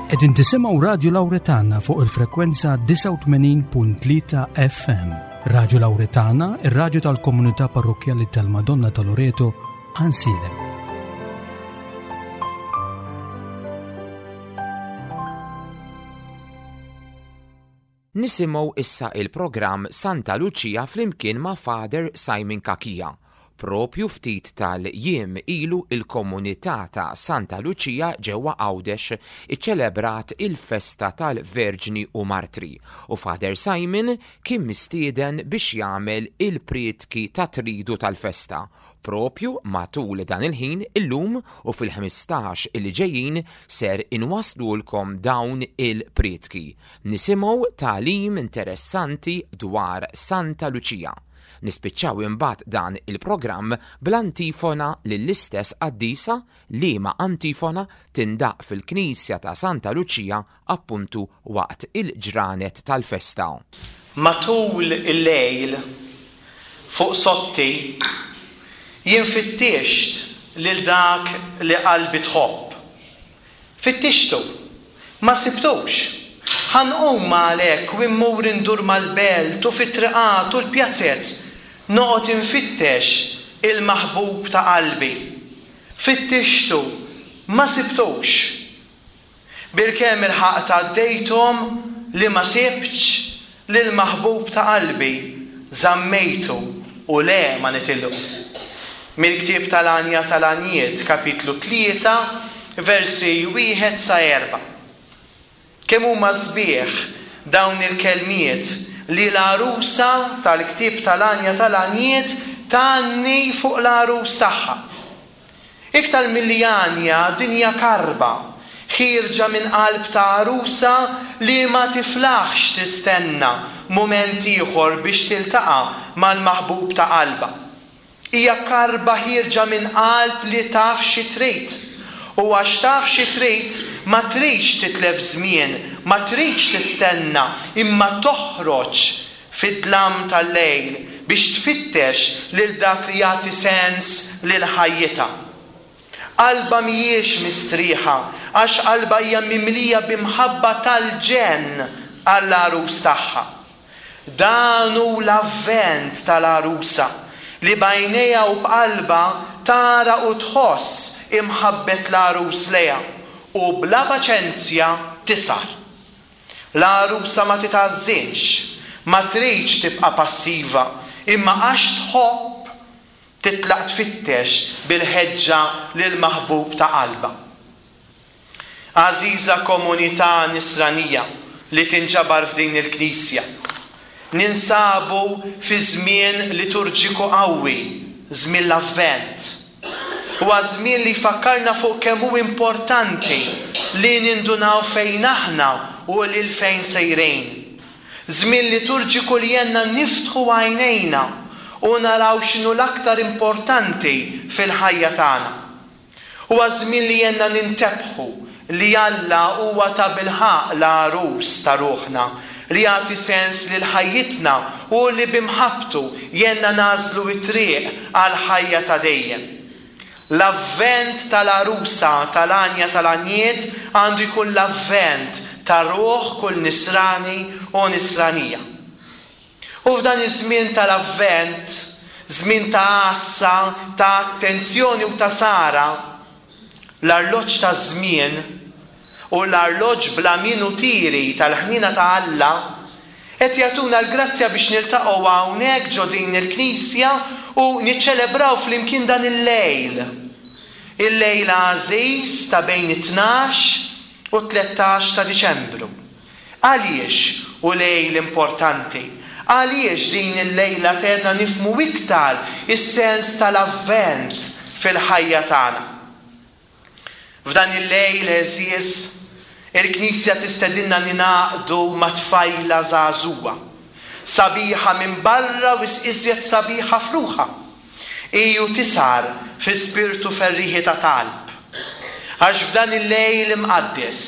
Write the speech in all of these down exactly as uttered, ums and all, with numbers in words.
Qegħdin tisimgħu Radio Lauretana fuq il-frekwenza disgħa u tmenin punt tlieta F M. Radio Lauretana, ir-radju tal-komunità parrokkjali tal-Madonna ta' Loreto, Għajnsielem. Nisimgħu issa il-programm Santa Lucia flimkien ma' Father Simon Cachia. Propju ftit tal-jiem ilu, il-komunità ta' Santa Lucia ġewwa Għawdex iċċelebrat il-festa tal-Verġni u Martri u Father Simon kien mistieden biex jagħmel il-prietki ta' tridu tal-festa. Propju matul dan il-ħin illum u fil-ħmistax il ġejjin ser inwaslulkom dawn il-prietki. Nisimgħu tagħlim interessanti dwar Santa Lucia. Nispiċċaw imbagħad dan il-programm bl-antifona lill-istess qaddisa, liema antifona tindaq fil-Knisja ta' Santa Lucia appuntu waqt il-ġranet tal-festa. Matul il-lejl fuq sotti jien fittixt lil dak li qalbi tħobb. Fittixtu, ma sibtux. Ħa nqum għalhekk u immur indur mal-belt u fit-triqat u l-pjazzez noqgħod infittex il-maħbub ta' qalbi. Fittixtu, ma sibtux. Bilkemm ilħaqt għaddejthom li ma sibtx lil-maħbub ta' qalbi, żammejtu u le ma nitilqu. Mill-ktieb tal-Għanja tal-Għanjiet, kapitlu tlieta, versi wieħed sa erba'. Kemm huma sbieħ dawn il-kelmiet li l-għarusa tal-ktieb tal-Għanja tal-Għanjiet tgħanni fuq l-għarus tagħha. Iktar milli għanja, din hija karba, ħierġa minn qalb ta' għarusa li ma tiflaħx tistenna mument ieħor biex tiltaqa' mal-maħbub ta' qalba. Hija karba ħierġa minn qalb li taf xi trid. U għax taf xi trid, ma tridx titlef żmien, ma tridx tistenna, imma toħroġ fid-dlam tal-lejl biex tfittex lil dak li jagħti sens lil ħajjitha. Qalba mhijiex mistrieħa, għax qalba hija mimlija b'imħabba tal-ġenn għall-għarus tagħha. Dan hu l-avvent tal-għarusa li b'għajnejha u b'qalba tara u tħoss imħabbet l-għarus lejha u bla paċenzja tisar. L-għarusa ma titgħażżinx, ma tridx tibqa' passiva, imma għax tħobb titlaq tfittex bil-ħeġġa lil maħbub ta' qalba. Għażiża komunità nisranija li tinġabar f'din il-knisja, ninsabu fi żmien liturġiku qawwi, żmien l-Avvent. Huwa żmien li jfakkarna fuq kemm hu importanti li nindunaw fejn aħna u lil fejn sejrin. Żmien liturġiku li jgħinna niftħu għajnejna u naraw x'inhu l-aktar importanti fil-ħajja tagħna. Huwa żmien li jgħinna nintebħu li Alla huwa ta' bilħaqq l-għarus ta' ruħna, li jagħti sens lil ħajjitna u li b'imħabbtu jgħinna nagħżlu t-triq għal ħajja ta' dejjem. L-avvent tal-għarusa tal-Għanja tal-Għanjiet għandu jkun l-avvent ta' ruħ kull nisrani u nisranija. U f'dan iż-żmien tal-avvent, żmien ta' għassa, ta' attenzjoni u ta' sara, l-arloġġ ta' żmien u l-arloġġ bla minutieri tal-ħnina ta' Alla qed jagħtuna l-grazzja biex niltaqgħu hawnhekk ġo din il-knisja u niċċelebraw flimkien dan il-lejl. Il-lejl għażiż ta' bejn it-tnax u tlettax ta' Diċembru. Għaliex u lejl importanti? Għaliex din il-lejla tgħinna nifhmu iktar is-sens tal-avvent fil-ħajja tagħna? F'dan il-lejl għeżież, il-Knisja tistedinna ningħaqdu ma' tfajla żagħżugħa, sabiħa minn barra u iżjed sabiħa f'ruħha. Iju tisar fi spirtu ferriħi ta' talb. Għax f'dan il-lejl imqaddes,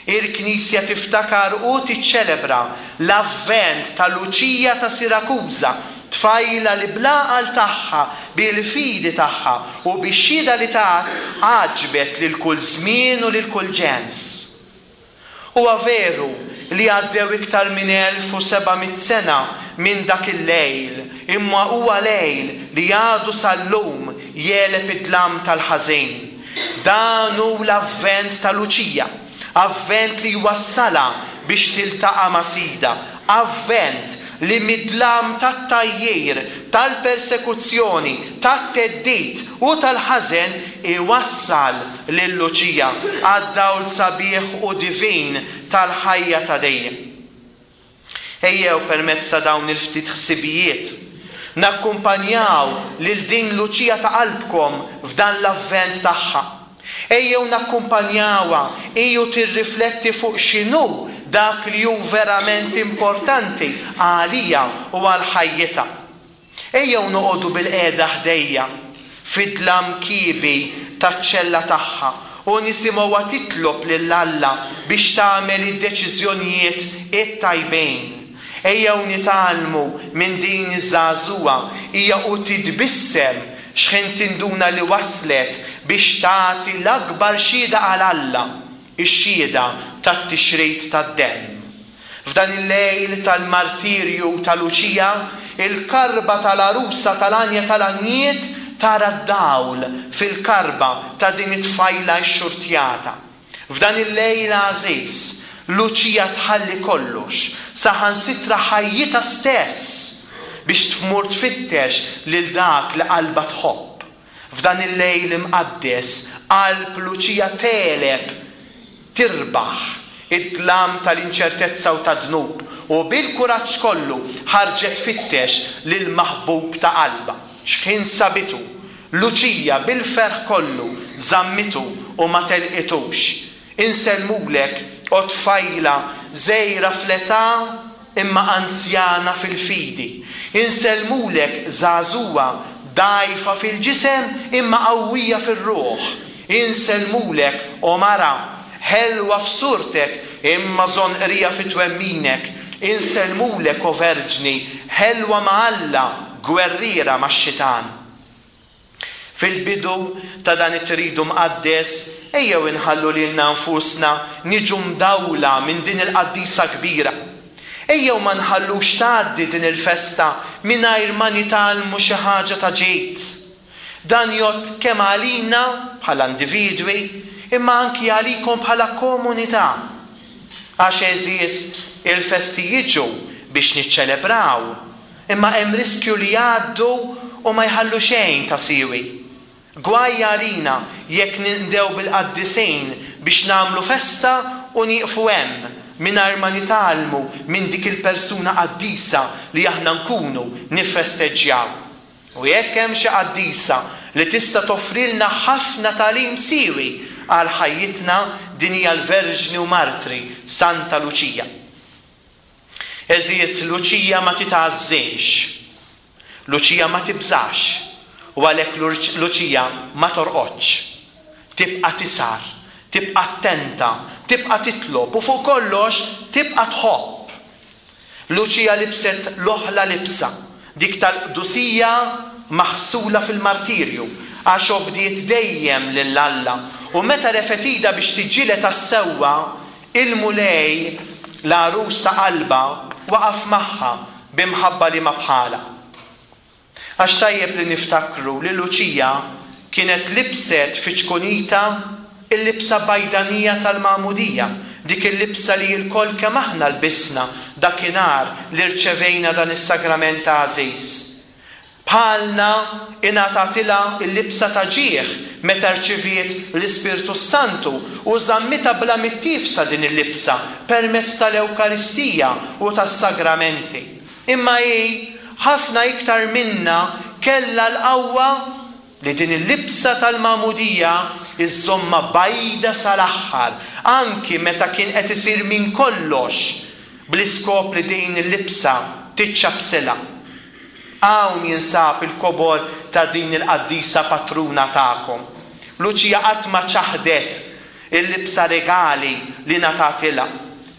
il-Knisja tiftakar u tiċċelebra l-avvent ta' Luċija ta' Sirakuża, tfajla li bl-għaqal tagħha, bil-fidi tagħha u bix-xhieda li tat għaġbet lil kull żmien u lil kull ġens. Huwa veru li għaddew iktar minn elf u seba' mitt sena minn dak il-lejl, imma huwa lejl li għadu sal-lum jegħleb id-dlam tal-ħażin. Dan hu l-avvent ta' Luċija, avvent li jwassalha biex tiltaqa' ma' Sidha, avvent li mid-dlam tat-tgħajjir, tal-persekuzzjoni, tat-theddid u tal-ħażen iwassal lil Luċija għad-dawl sabiħ u divin tal-ħajja ta' dejjem. Ejjew permezz ta' dawn il-ftit ħsibijiet nakkumpanjaw lil din Luċija ta' qalbkom f'dan l-avvent tagħha. Ejjew nakkumpanjawha iju tirrifletti fuq x'inhu dak li hu verament importanti għalija u għal ħajjitha. Ejjew noqogħdu bil-qiegħda ħdejja fid-dlam kiebi taċ-ċella tagħha u nisimgħuha titlob lil Alla biex tagħmel id-deċiżjonijiet it-tajbin. Ejjew nitgħallmu minn din iż-żagħżugħa hija u titbissem x'ħin tinduna li waslet biex tagħti l-akbar xhieda għal Alla, ix-xhieda tat-tixrid tad-demm. F'dan il-lejl tal-martirju ta' Luċija, il-karba tal-għarusa tal-għanja tal-għanjiet tara d-dawl fil-karba ta' din it-tfajla xxurtjata. F'dan il-lejl għażiż, Luċija tħalli kollox, saħansitra ħajjitha stess, biex tmur tfittex lil dak li qalbha tħobb. F'dan il-lejl imqaddes, qalb Luċija tegħleb, tirbaħ id-dlam tal-inċertezza u tad-dnub, u bil-kuraġġ kollu ħarġet tfittex lil maħbub ta' qalbha. X'ħin sabitu, Luċija bil-ferħ kollu żammitu u ma telqitux. Insellmulek, o tfajla żgħira fl-età imma anzjana fil-fidi. Insellmulek żagħżugħa dgħajfa fil-ġisem imma qawwija fir-ruħ. Insellmulek, o mara, ħelwa f'surtek imma żonqrija fit-twemminek. Insellmulek, o verġni, ħelwa ma' Alla, gwerriera max-xitan. Fil-bidu ta' dan it-tridu mqaddes, ejjew inħallu lilna nfusna niġu mdawla minn din il-qaddisa kbira. Ejjew ma nħallux tgħaddi din il-festa mingħajr ma nitgħallmu xi ħaġa ta' ġid. Dan jgħodd kemm għalina bħala individwi, imma anki għalikom bħala komunità. Għax għeżież, il-festi jiġu biex niċċelebraw, imma hemm riskju li jgħaddu u ma jħallu xejn ta' siwi. Gwaj għalina jekk nindew bil-qaddisin biex nagħmlu festa u nieqfu hemm mingħajr ma nitgħallmu minn dik il-persuna qaddisa li aħna nkunu nifesteġġjaw. U jekk hemm xi qaddisa li tista' toffrilna ħafna tagħlim siwi għal ħajjitna, din hija l-Verġni u Martri Santa Luċija. Għeżież, Luċija ma titgħażżinx, Luċija ma tibżax, u għalhekk Luċija ma torqodx. Tibqa' tisar, tibqa' attenta, tibqa' titlob u fuq kollox tibqa' tħobb. Luċija libset l-oħla libsa, dik tal-qdusija maħsula fil-martirju, għax obdiet dejjem lil Alla, u meta refet idha biex tiġġieled għas-sewwa, il-Mulej, l-għarus ta' qalbha, waqaf magħha b'imħabba li ma bħalha. Għax tajjeb li niftakru li Luċija kienet libset fi ċkunita il-libsa bajdanija tal-Magħmudija, dik il-libsa li l-koll kemm aħna lbisna dakinhar li rċevejna dan is-sagrament għażiż. Bħalna ingħatatilha l-libsa ta' ġieħ meta rċeviet l-Ispirtu Santu u żammitha bla mittifsa din il-libsa permezz tal-Ewkaristija u tas-sagramenti. Imma hi ħafna iktar minna kellha l-qawwa li din il-libsa tal-Magħmudija iżżomma bajda sal-aħħar, anki meta kien qed isir minn kollox bl-iskop li din il-libsa tiċċabsilha. Hawn jinsab il-kobor ta' din il-qaddisa patruna tagħkom. Luċija qatt ma ċaħdet il-libsa regali li ngħatatilha.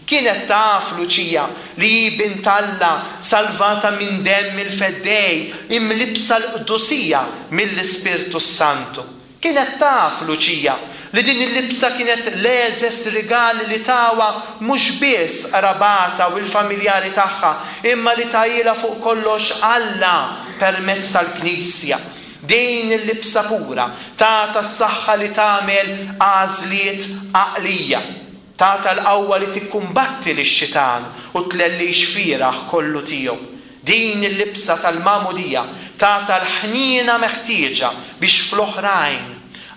Kienet taf Luċija li hi bint Alla salvata minn demm il-Feddej, imlibsa l-qdusija mill-Ispirtu Santu. Kienet taf Luċija li din il-libsa kienet l-egħżeż rigal li tawha mhux biss qrabatha u l-familjari tagħha, imma li tahielha fuq kollox Alla permezz tal-Knisja. Din il-libsa pura tagħtha s-saħħa li tagħmel għażliet għaqlija, tagħtha l-qawwa li tikkumbatti lix-xitan u tlellix fieragħ kollu tiegħu. Din il-libsa tal-magħmudija tagħtha l-ħniena meħtieġa biex fl-oħrajn,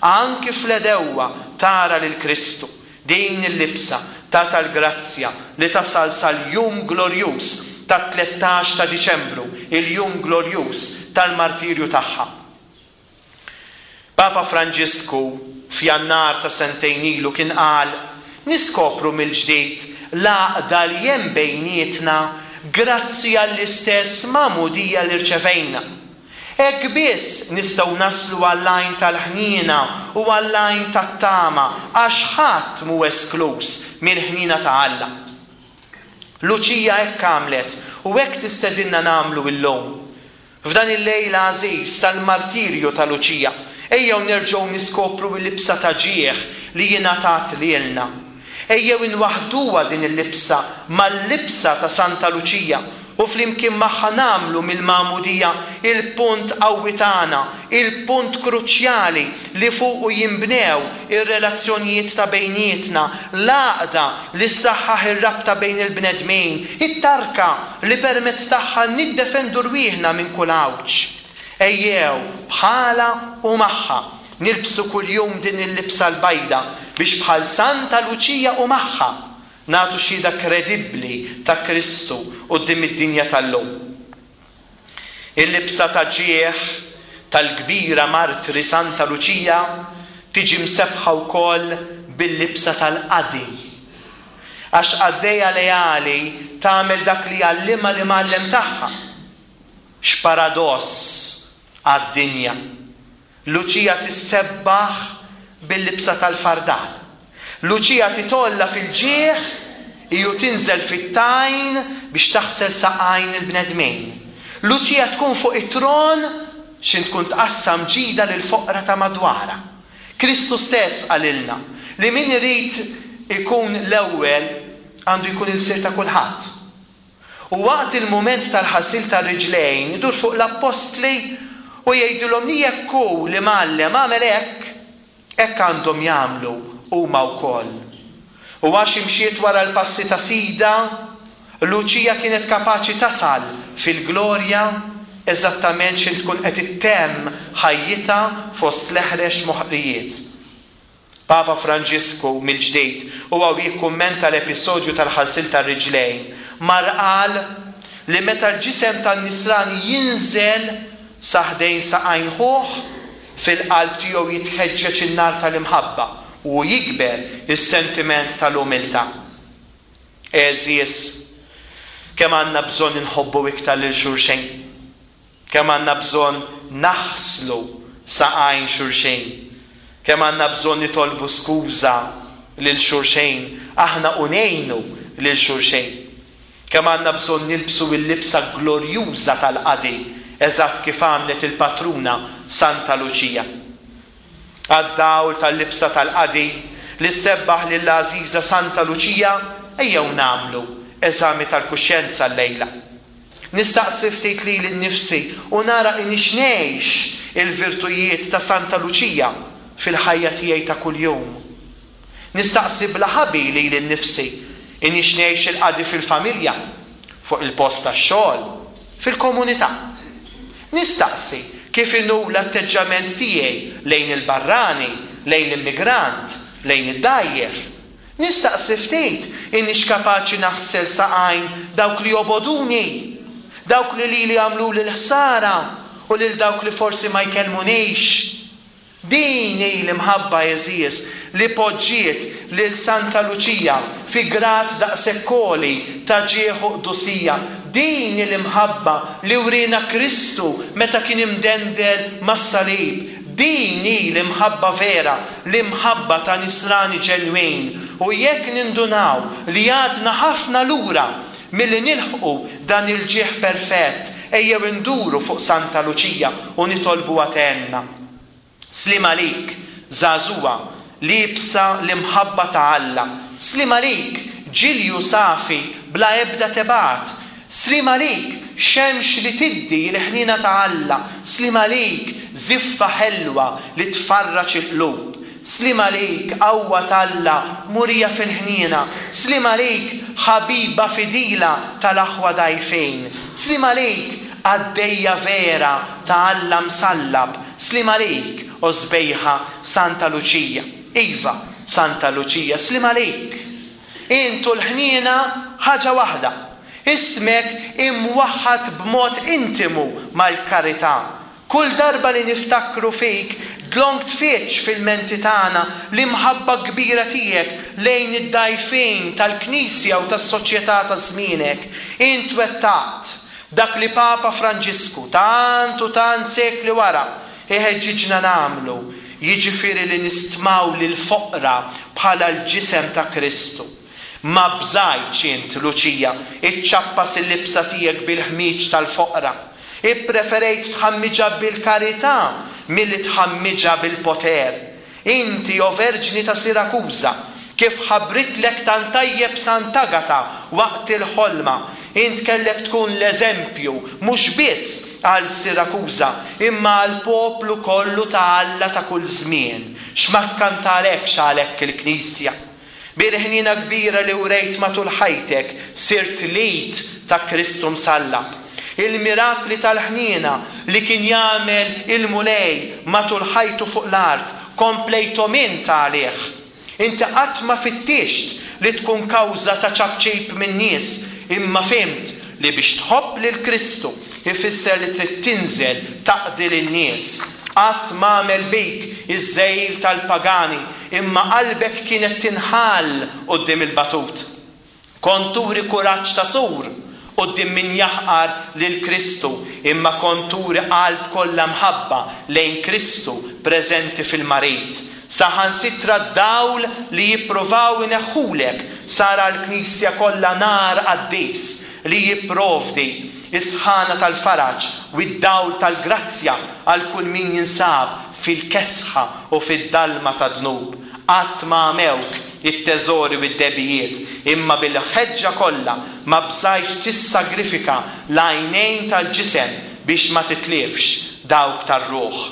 anki fl-għedewwa, tara lil Kristu. Din il-libsa tagħtha l-grazzja li tasal sal-jum glorjuż tat-tlettax ta' Diċembru, il-jum glorjuż tal-martirju tagħha. Papa Franġisku f'Jannar ta' sentejn ilu kien qal, Niskopru mill-ġdid l-għaqda li hemm bejnietna grazzi għall-istess magħmudija li rċevejna. Hekk biss nistgħu naslu għall-għajn tal-ħniena u għall-għajn tat-tama, għax ħadd mhu eskluż mill-ħniena ta' Alla. Luċija hekk għamlet u hekk tistedinna nagħmlu illum. F'dan il-lejl għażiż tal-martirju ta' Luċija, ejjew nerġgħu niskopru l-libsa ta' ġieħ li jingħatat lilna. Ejjew inwaħħduha din il-libsa mal-libsa ta' Santa Luċija u flimkien magħha nagħmlu mill-magħmudija il-punt qawwi tagħna, il-punt kruċjali li fuqu jinbnew ir-relazzjonijiet ta' bejnietna, l-għaqda li ssaħħaħ ir-rabta bejn il-bnedmin, it-tarka li permezz tagħha niddefendu rwieħna minn kull għawġ. Ejjew, bħalha u magħha, nilbsu kuljum din il-libsa l-bajda biex bħal Santa Luċija u magħha nagħtu xhieda kredibbli ta' Kristu quddiem id-dinja tal-lum. Il-libsa ta' ġieħ tal-kbira martri Santa Luċija tiġi msebħa wkoll bil-libsa tal-qadi. Għax qaddejja leali tagħmel dak li jgħallimha l-imgħallem tagħha. X'paradoss għad-dinja. Luċija tissebbaħ bil-libsa tal-fardal. Luċija titolla fil-ġieħ iju tinżel fit-tajn biex taħsel saqajn il-bnedmin. Luċija tkun fuq it-tron xin tkun tqassam ġida lil foqra ta' madwara. Kristu stess qalilna li min irid ikun l-ewwel għandu jkun il-sir ta' kulħadd. U waqt il-mument tal-ħasil tar-riġlejn idur fuq l-appostli u jgħidulhom li jekk hu li mgħallem għamel hekk, hekk għandhom jagħmlu huma wkoll. U għax imxiet wara l-passi ta' Sida, Luċija kienet kapaċi tasal fil-glorja eżattament x'in tkun qed ittemm ħajjitha fost l-eħrex moħqrijiet. Papa Franġisku mill-ġdid huwa jikkummenta l-episodju tal-ħasil tar-riġlejn mar qal li meta l-ġisem tan-nisrani jinżel sa ħdejn saqajn ħuh, fil-qalb tiegħu jitħeġġeġ in-nar tal-imħabba u jikber is-sentiment tal-umiltà. Għeżież, kemm għandna bżonn inħobbu iktar lil xulxejn, kemm għandna bżonn naħslu saqajn xulxejn, kemm għandna bżonn nitolbu skuża lil xulxejn, aħna u ngħinu lil xulxejn, kemm għandna bżonn nilbsu l-libsa glorjuża tal-qadi, eżatt kif għamlet il-patruna Santa Luċija. Għad-dawl tal-libsa tal-qadi li sebbaħ lill-għażiża Santa Luċija, ejjew nagħmlu eżami tal-kuxjenza llejla. Nistaqsi ftit lili nnifsi u nara inix ngħix il-virtujiet ta' Santa Luċija fil-ħajja tiegħi ta' kuljum. Nistaqsi bla ħabi lili nnifsi inix ngħix il-qadi fil-familja, fuq il-post tax-xogħol, fil-komunità. Nistaqsi kif inhu l-atteġġament tiegħi lejn il-barrani, lejn l-immigrant, lejn id-dajjef. Nistaqsi ftit inix kapaċi naħsel saqajn dawk li joboduni, dawk li lili għamlu l-ħsara u lil dawk li forsi ma jkellmunix. Din hi l-imħabba, għeżież, li poġġiet lil Santa Luċija fi grad daqshekk għoli ta' ġieħ u qdusija. Din hi l-imħabba li wriena Kristu meta kien imdendel mas-salib. Din hi l-imħabba vera, l-imħabba ta' nisrani ġenwin. U jekk nindunaw li għadna ħafna lura milli nilħqu dan il-ġieħ perfett, ejjew induru fuq Santa Luċija u nitolbu għatenna. Slim għalik, żagħżugħa liebsa l-imħabba ta' Alla. Sliem għalik, ġilju safi bla ebda tebgħat. Sliem għalik, xemx li tiddi l-ħniena ta' Alla. Sliem għalik, żiffa ħelwa li tfarraġ il-qlub. Sliem għalik, qawwa t'Alla murija fil-ħniena. Sliem għalik, ħabiba fidila tal-aħwa dgħajfin. Sliem għalik, qaddejja vera ta' Alla msallab. Sliem għalik, o sbejħa Santa Luċija. Iva, Santa Luċija, sliem għalik. Int u l-ħniena ħaġa waħda. Ismek imwaħħad b'mod intimu mal-karità. Kull darba li niftakru fik, dlonk tfittx fil-menti tagħna l-imħabba kbira tiegħek lejn id-dgħajfin tal-Knisja u tas-soċjetà ta' żmienek. Int wettaqt dak li Papa Franġisku tant u tant sekli wara iħeġġiġna nagħmlu, jiġifieri li nistmaw lill-foqra bħala l-ġisem ta' Kristu. Ma bżajtx int, Luċija, iċċappas il-libsa tiegħek bil-ħmiġ tal-foqra. Ippreferejt tħammiġha bil-karità milli tħammiġha bil-poter. Inti, o Verġni ta' Sirakuża, kif ħabritlek tant tajjeb Sant'Agata waqt il-ħolma, int kellek tkun l-eżempju mhux biss għal Sirakuża, imma għal poplu kollu ta' Alla ta' kull żmien. X'ma tkantalekx għalhekk il-Knisja? Bil-ħniena kbira li wrejt matul ħajtek, sirt l-id ta' Kristu msallab. Il-mirakli tal-ħniena li kien jagħmel il-Mulej matul ħajtu fuq l-art, komplejthom int għalih. Inti qatt ma fittixt li tkun kawża ta' ċapċip min-nies, imma fhimt li biex tħobb lil Kristu ifisser li trid tinżel taqdi lin-nies. Qatt ma għamel bik iż-żejl tal-pagani, imma qalbek kienet tinħall quddiem il-batut. Kont turi kuraġġ ta' sur quddiem min jaħqar lil Kristu, imma kont turi qalb kollha mħabba lejn Kristu preżenti fil-marid. Saħansitra d-dawl li jippruvaw ineħħulek sar għall-Knisja kollha nar qaddis li jipprovdi is-sħana tal-faraġ u d-dawl tal-grazzja għal kull min jinsab fil-kesħa u fid-dalma ta' dnub. Qatt ma għamewk it-teżori u d-debijiet, imma bil-ħeġġa kollha ma bżajtx tissagrifika l-għajnejn tal-ġisem biex ma titlifx dawk tar-ruħ.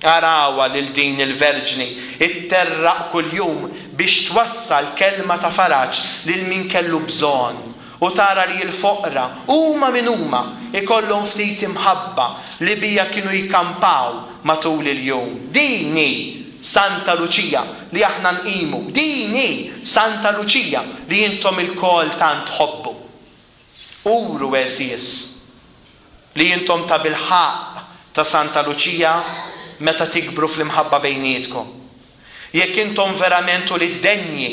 Arawha lil din il-Verġni itterraq kuljum biex twassal kelma ta' faraġ lil min kellu bżonn, u tara li l-foqra huma min huma ikollhom ftit imħabba li bija kienu jkampaw matul il-jum. Din hi Santa Luċija li aħna nqimu, din hi Santa Luċija li intom ilkoll tant tħobbu. Uru għeżież li intom ta' bil-ħaqq ta' Santa Luċija meta tikbru fl-imħabba bejnietkom. Jekk intom verament ulied denji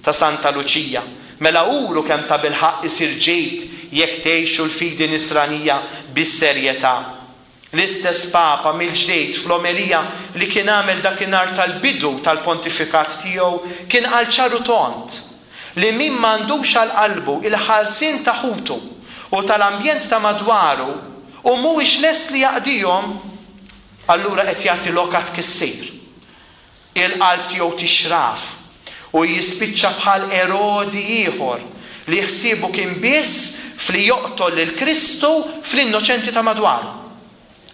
ta' Santa Luċija, mela uru kemm ta' bil-ħaqq isir ġid jekk tgħixu l-fidi nisranija bis-serjetà. L-istess Papa mill-ġdid fl-omelija li kien għamel dakinhar tal-bidu tal-pontifikat tiegħu kien qal ċar u tond li min m'għandux għal qalbu il-ħarsien ta' ħutu u tal-ambjent ta' madwaru u mhuwiex lest li jaqdihom, allura qed jagħti lok għat-tkissir. Il-qalb tiegħu tixraf u jispiċċa bħal Erodi ieħor li ħsiebu kien biss fli joqtol lil Kristu fl-innoċenti ta' madwaru.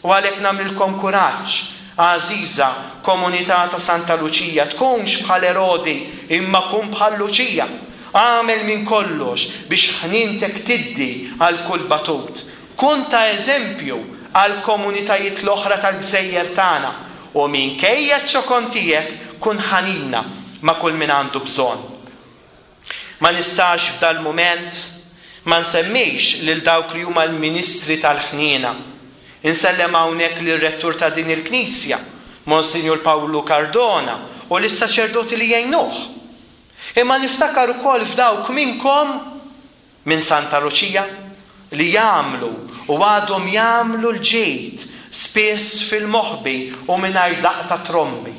U għalhekk nagħmlilkom kuraġġ, għażiża komunità ta' Santa Luċija, tkunx bħal Erodi imma kun bħal Luċija. Għamel minn kollox biex ħnintek tiddi għal kull batut. Kun ta' eżempju għal komunitajiet l-oħra tal-gżejjer tagħna u minkejja ċ-ċokon tiegħek kun ħanina ma' kull min għandu bżonn. Ma nistax f'dal mument ma nsemmix lil dawk li huma l-ministri tal-ħniena. Insellem hawnhekk lir-rettur ta' din il-Knisja, Monsinjur Pawlu Cardona, u lis-saċerdoti li jgħinuh. Imma niftakar ukoll f'dawk minnkom minn Santa Luċija li jagħmlu u għadhom jagħmlu l-ġid spiss fil-moħbi u mingħajr daqq ta' trombi.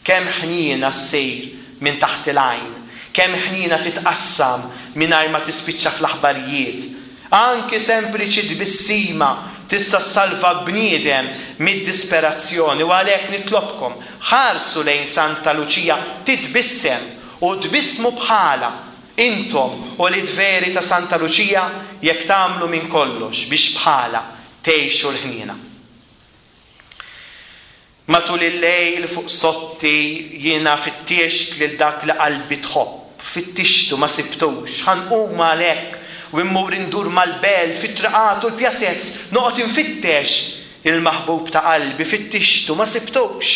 Kemm ħniena ssir minn taħt il-għajn, kemm ħniena titqassam mingħajr ma tispiċċa fl-aħbarijiet. Anki sempliċi tbissima tista' ssalva bniedem mid-disperazzjoni u għalhekk nitlobkom ħarsu lejn Santa Luċija titbissem u tbissmu bħalha intom ulied veri ta' Santa Luċija jekk tagħmlu minn kollox biex bħalha tgħixu l-ħniena. Matul il-lejl fuq sotti jiena fittixt lil dak li qalbi tħobb, fittixtu ma sibtux, ħa nqum għalhekk u immur indur mal-belt fit-triqat u l-pjazez, noqgħod infittex il-maħbub ta' qalbi, fittixtu ma sibtux.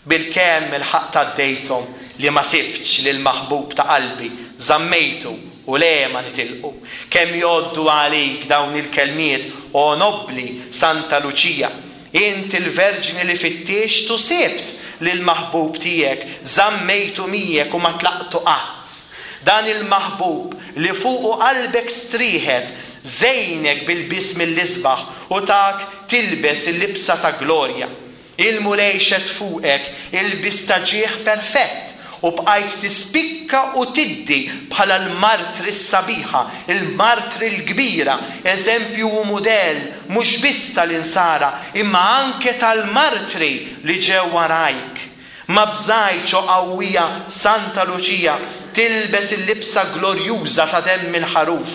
Bilkemm ilħaqt għaddejthom li ma sibtx lill-maħbub ta' qalbi, żammejtu u le ma nitilqu. Kemm jgħoddu għalik dawn il-kelmiet, o nobbli Santa Luċija, int il-verġni li fittixt u sibt lill-maħbub tiegħek, żammejtu miegħek u ma tlaqtu qatt. Dan il-maħbub li fuqu qalbek strieħet, żejnek bil-ilbies mill-isbaħ u tak tilbes il-libsa ta' glorja. Il-Mulej xedd fuqek ilbies ta' ġieħ perfett u bqajt tispikka u tiddi bħala l-martri s-sabiħa, il-martri l-kbira, eżempju u mudell mhux biss tal-insara, imma anke tal-martri li ġew warajk. Ma bżajtx, o qawwija Santa Luċija, tilbes il-libsa glorjuża ta' demm il-ħaruf.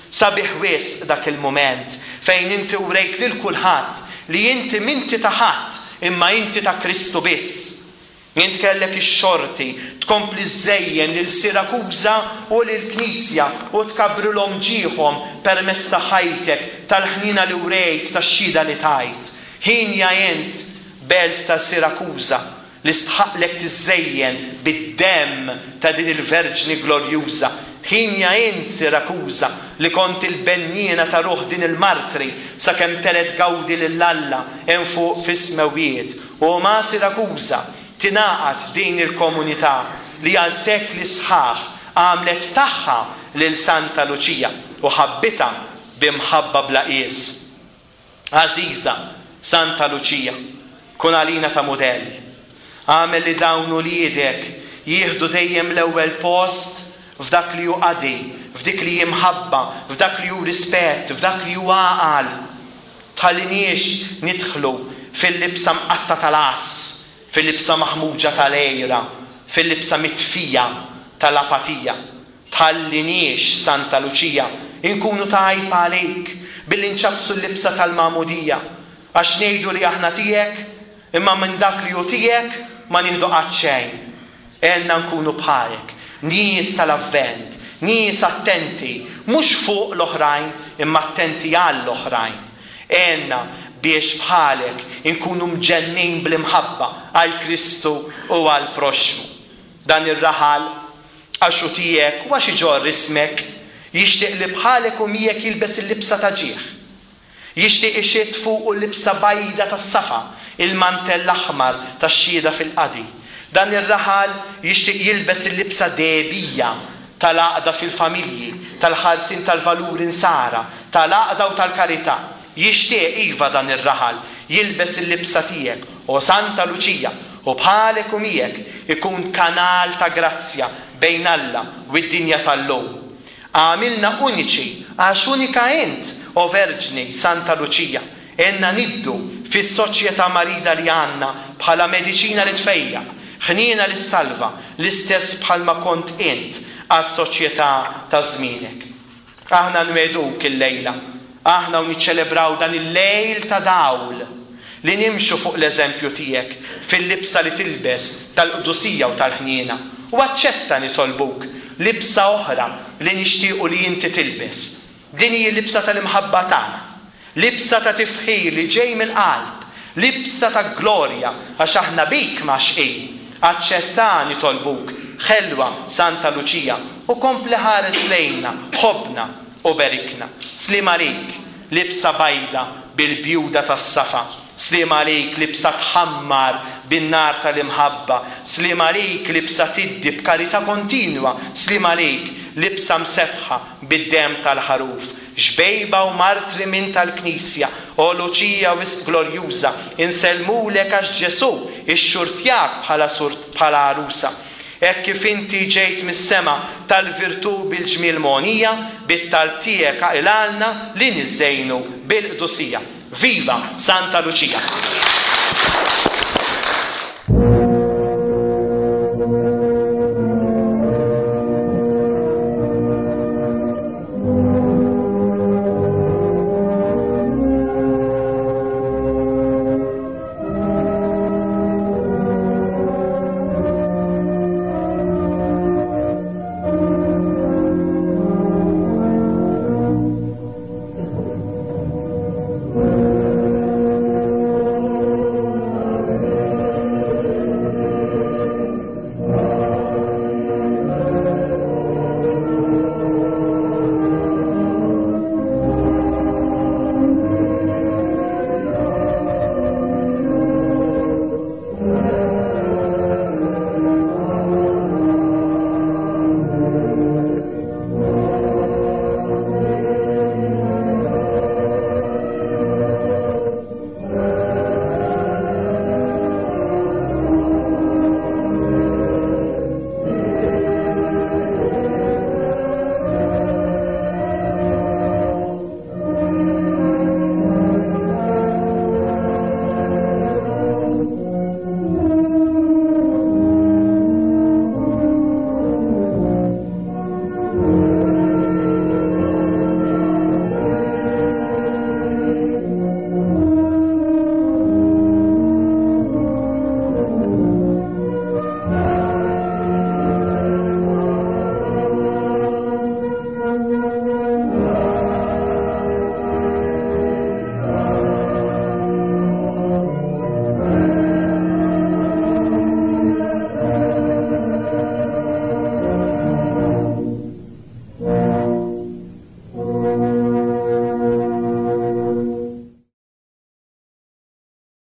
Sabiħ wisq dak il-mument fejn inti wrejt lil kulħadd li inti m'inti ta' ħadd imma inti ta' Kristu biss. Int kellek ix-xorti tkompli żżejjen lil Sirakuża u lil Knisja u tkabrilhom ġieħhom permezz ta' ħajtek, tal-ħniena li wrejt, tax-xhieda li tajt. Ħinja int, belt ta' Sirakuża, li stħaqlek tiżżejjen bid-demm ta' din il-Verġni glorjuża. Ħinja int, Sirakuża, li kont il-benniena ta' ruħ din il-martri sakemm telet gawdi lil Alla hemm fuq fis-smewwiet. U ma' Sirakuża tingħaqad din il-komunità li għal sekli sħaħ għamlet tagħha lil Santa Luċija u ħabbitha b'imħabba bla qies. Għażiża Santa Luċija, kun għalina ta' mudell. Għamel li dawn uliedek jieħdu dejjem l-ewwel post f'dak li hu qadi, f'dik li hi mħabba, f'dak li hu rispett, f'dak li hu għaqal. Tħalliniex nidħlu fil-libsa mqatta tal-għass, fil-libsa maħmuġa tal-għira, fil-libsa mitfija tal-apatija. Tħalliniex, Santa Luċija, inkunu ta' għajb għalik billi nċappsu l-libsa tal-magħmudija, għax ngħidu li aħna tiegħek, imma minn dak li hu tiegħek ma nieħdu qatt xejn. Għenna nkunu bħalek, nies tal-avvent, nies attenti, mhux fuq l-oħrajn, imma attenti għall-oħrajn. Għenna biex bħalek inkunu mġennin bl-imħabba għal Kristu u għal proxxmu. Dan ir-raħal għax hu tiegħek u għax iġorr ismek, jixtieq li bħalek u miegħek jilbes il-libsa ta' ġieħ. Jixtieq ixitt fuqu l-libsa bajda tas-safa, il-mantell aħmar tax-xhieda fil-qadi. Dan ir-raħal jixtieq jilbes il-libsa dehbija tal-għaqda fil-familji, tal-ħarsin tal-valuri nsara, tal-għaqda u tal-karità. Jixtieq iva dan ir-raħal jilbes il-libsa tiegħek, o Santa Luċija, u bħalek u miegħek ikun kanal ta' grazzja bejn Alla u d-dinja tal-lum. Għamilna uniċi għax unika int, o Verġni Santa Luċija. Għenna niddu fis-soċjetà marida li għandna bħala mediċina li tfejjaq, ħniena li ssalva, l-istess bħalma kont int għas-soċjetà ta' żmienek. Aħna nwegħduk il-lejla, aħna u niċċelebraw dan il-lejl ta' dawl li nimxu fuq l-eżempju tiegħek fil-libsa li tilbes tal-qdusija u tal-ħniena. U aċċetta nitolbuk libsa oħra li nixtiequ li inti tilbes. Din hi l-libsa tal-imħabba tagħna, libsa ta' tifħir li ġej mill-qalb, libsa ta' glorja għax aħna bik maxqin. Aċċetta nitolbuk, ħelwa Santa Luċija, u kompli ħares lejna, ħobna u berikna. Slim għalik, libsa bajda bil-bjuda tas-safa. Slim għalik, libsa tħammar bin-nar tal-imħabba. Slim għalik, libsa tiddi b'karità kontinwa. Slim għalik, libsa msebħa bid-demm tal-ħaruf. Xbejba u martri minn tal-Knisja, o Luċija wisq glorjuża, insellmulek għax Ġesù ixxurtjak bħala surt bħala għarusa. Hekk kif inti ġejt mis-sema tal-virtù bil-ġmiel mogħnija, bit-talb tiegħek aqilgħalna li niżżejnu bil-qdusija. Viva Santa Luċija!